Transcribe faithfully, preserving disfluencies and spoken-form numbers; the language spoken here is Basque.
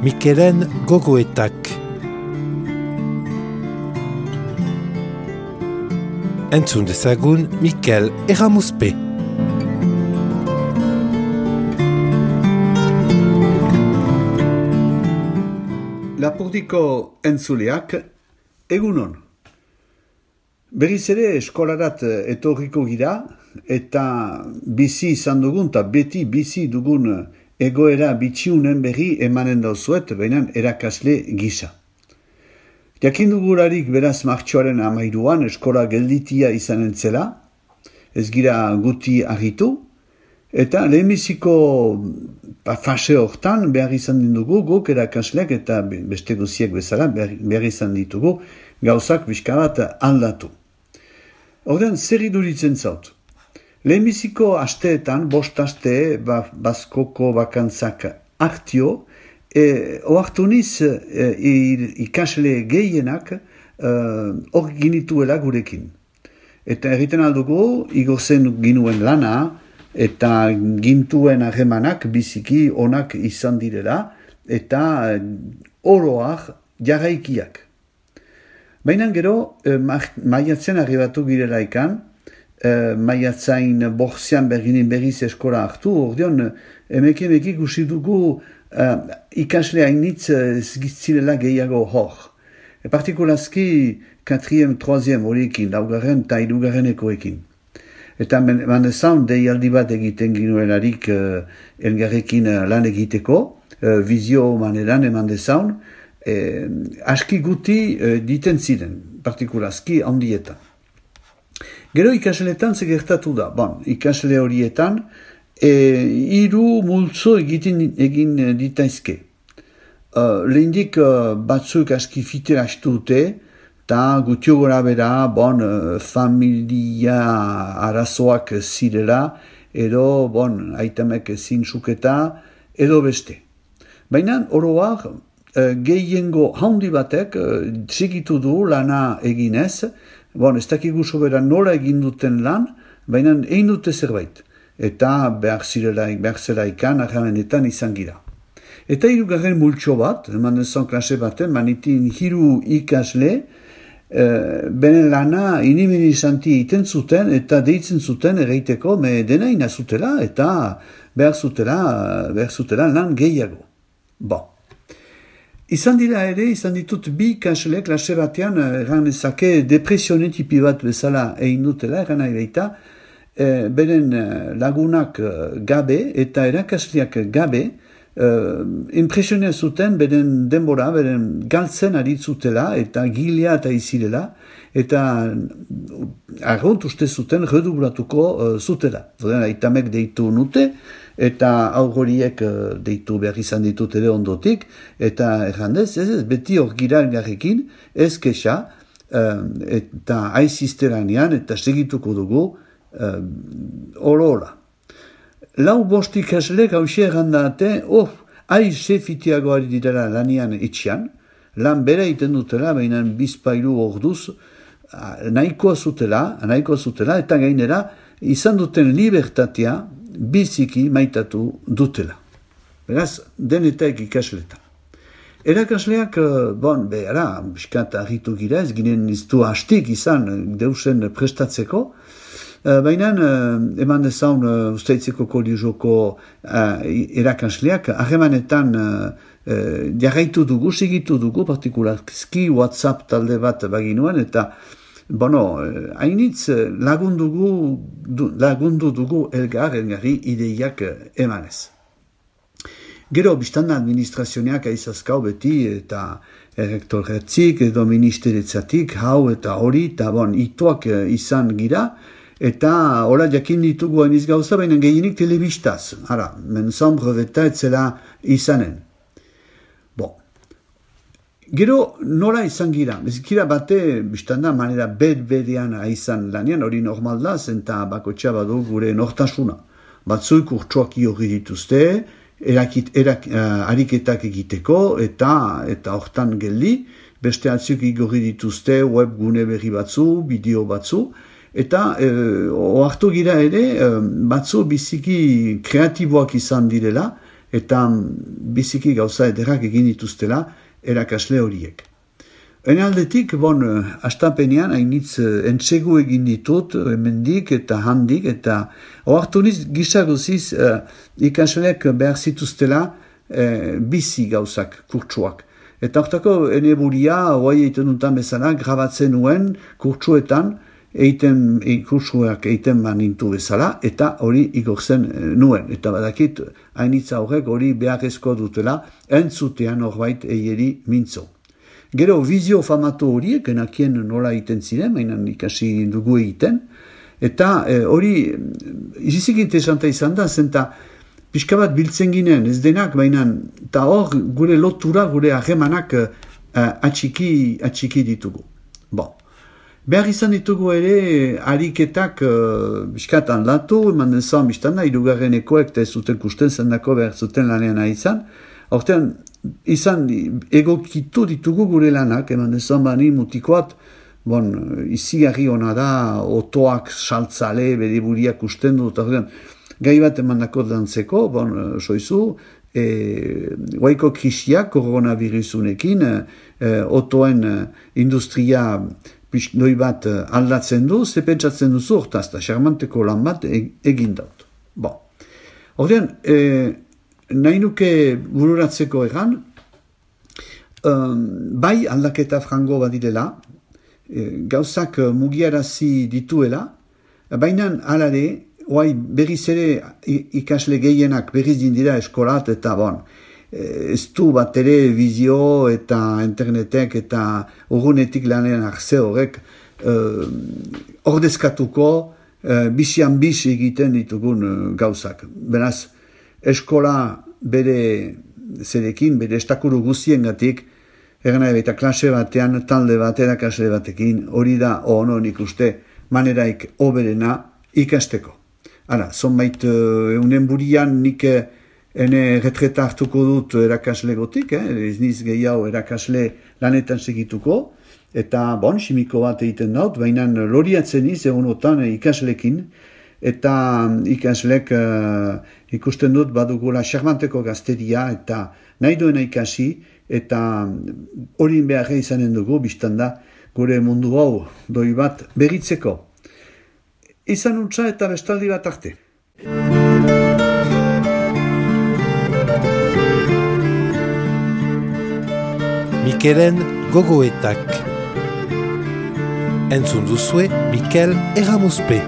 Mikelen gogoetak. Entzun dezagun Mikel Erramuzpe. Lapurdiko entzuleak, egunon. Berriz ere eskolarat etorriko gira, eta bizi izan dugun, eta beti bizi dugun egoera bitxiunen berri emanen dauzuet, baina erakasle gisa. Jakin dugularik beraz martxoaren amairuan eskola gelditia izanen zela, ez gira guti argitu, eta lehenbiziko fase hortan behar izan dugu guk erakasleak eta beste guziek bezala behar izan ditugu gauzak pixka bat aldatu. Ordean zer iduritzen zaut. Lehenbiziko asteetan, bost aste, ba, bazkoko bakantzak hartio, e, oartu niz e, ikasle gehienak hor e, ginituela gurekin. Eta egiten aldugu, igozen ginuen lana, eta gintuen harremanak biziki onak izan direla, eta oroak jarraikiak. Baina gero, e, maiatzen arribatu girela ikan, e, maiatzain bortzean berginin berriz eskola hartu, ordeon, emekin ekik usi dugu e, ikasle hainitz zirela gehiago hor. E, partikulazki, katriem, troaziem horiekin, laugarren eta irugarrenekoekin. Eta mandezaun, deialdi bat egiten ginuelarik e, elgarrekin lan egiteko, e, vizio maneran eman dezaun, E, aski guti e, diten ziren, partikulazki handietan. Gero ikasleetan zegertatu da. Bon, ikasle horietan, e, hiru multzo egiten egin ditaizke. E, lehendik e, batzuk aski fite hastu dute, eta gutio gora bera, bon, familia arazoak zirela, edo, bon, aitamek zintzuketa, edo beste. Baina, oroak, gehiengo haundi batek txikitu du lana eginez, bon, ez dakigu sobera nola egin duten lan, baina egin dute zerbait. Eta behar zirelaik, behar zeraikan, arramenetan izan gira. Eta hirugarren multxo bat, eman dezon klase baten, manitin hiru ikasle, e, benen lana inimini izanti iten zuten, eta deitzen zuten erreiteko, me dena inazutela, eta behar zutela, behar zutela lan gehiago. Bon. Izan dira ere, izan ditut bi ikasle klase batean, erran ezake depresione tipi bat bezala egin dutela, erran nahi baita, e, beren lagunak gabe eta erakasleak gabe, e, impresionea zuten beren denbora, beren galtzen aritzutela eta gilea eta izirela, eta arront uste zuten redublatuko uh, zutela. Zoden, aitamek deitu nute, eta aurgoriek uh, deitu behar izan ditut ere ondotik, eta errandez, ez ez, beti hor gira elgarrekin, ez kexa, uh, eta aizizteranean, eta segituko dugu, uh, olo-ola. Lau bost ikaslek hausia errandate, oh, aiz sefitiago ari direla lanian etxian, lan bera iten dutela, baina bizpailu orduz, nahikoa zutela, nahikoa zutela, eta gainera, izan duten libertatea biziki maitatu dutela. Beraz, denetak ikasletan. Erakasleak, bon, behara, biskat argitu gira, ez ginen iztu hastik izan deusen prestatzeko, baina, eman dezaun usteitzeko koliuzoko erakasleak, harremanetan jarraitu dugu, segitu dugu, partikularski WhatsApp talde bat baginuan, eta bono, hainitz lagundugu, lagundu dugu elgar, elgarri ideiak emanez. Gero, biztanda administrazioneak aizazkau beti, eta errektorretzik, edo ministeretzatik, hau eta hori, eta bon, ituak izan gira, eta hola jakin ditugu hainiz gauza, baina gehienik telebistaz. Hara, menzon breveta etzela izanen. Gero nola izan gira, bezikira bate, biztanda, manera bed-bedean izan lanian, hori normal da, zenta bakotxa badu gure nortasuna. Batzuik urtsuak hori dituzte, erakit, erak, uh, ariketak egiteko, eta eta hortan geldi, beste atzuk igorri dituzte web gune berri batzu, bideo batzu, eta uh, ohartu gira ere, uh, batzu biziki kreatiboak izan direla, eta biziki gauza ederrak egin dituztela erakasle horiek. Ene aldetik, bon, astapenean, hainitz entsegu egin ditut, hemendik eta handik, eta oartu niz gizaguziz uh, ikasleek behar zituztela uh, bizi gauzak, kurtsuak. Eta hortako, ene buria, oai egiten dutan bezala, grabatzen nuen kurtsuetan, eiten, e, kursuak eiten banintu bezala, eta hori igortzen nuen. Eta badakit, hainitza horrek hori beharrezko dutela, entzutean horbait eieri mintzo. Gero, vizio famatu horiek, enakien nola egiten ziren, mainan ikasi dugu egiten, eta e, hori, izizik interesanta izan da, zenta pixka bat biltzen ginen, ez denak, mainan, eta hor gure lotura, gure harremanak uh, atxiki, atxiki ditugu. Bon. Behar izan ditugu ere, ariketak uh, biskatan latu, eman den zan biztan da, irugarrenekoek eta ez zuten kusten zendako behar zuten lanean izan. Horten, izan egokitu ditugu gure lanak, eman den zan bani mutikoat, bon, izigarri hona da, otoak saltzale, bere buriak usten du, eta gai bat eman dako dantzeko, bon, soizu, e, guaiko krisiak, koronavirusunekin, e, otoen industria doi bat aldatzen du, ze pentsatzen duzu hortaz, eta xarmanteko lan bat egin daut. Bon. Horten, e, nahi nuke bururatzeko egan, um, bai aldaketa frango badirela, e, gauzak mugiarazi dituela, baina alare, oai berriz ere ikasle gehienak berriz dindira eskolat, eta bon, ez du bat ere vizio eta internetek eta urgunetik lanean arze horrek uh, ordezkatuko uh, bisian bis egiten ditugun uh, gauzak. Beraz, eskola bere zerekin, bere estakuru guztien gatik, erana eta klase batean, talde bat, erakasle batekin, hori da honon ikuste maneraik oberena ikasteko. Hala, zonbait uh, eunen burian nik ene retreta hartuko dut erakasle gotik, eh? Ez niz gehiago erakasle lanetan segituko, eta bon, simiko bat egiten daut, baina loriatzen niz egunotan ikaslekin, eta ikaslek uh, ikusten dut badugula xarmanteko gazteria, eta nahi duena ikasi, eta hori behar izanen dugu, biztan da, gure mundu hau doi bat berritzeko. Izan untza eta bestaldi bat arte. Mikelen gogoetak. Entzun duzue Mikel Erramuzpe.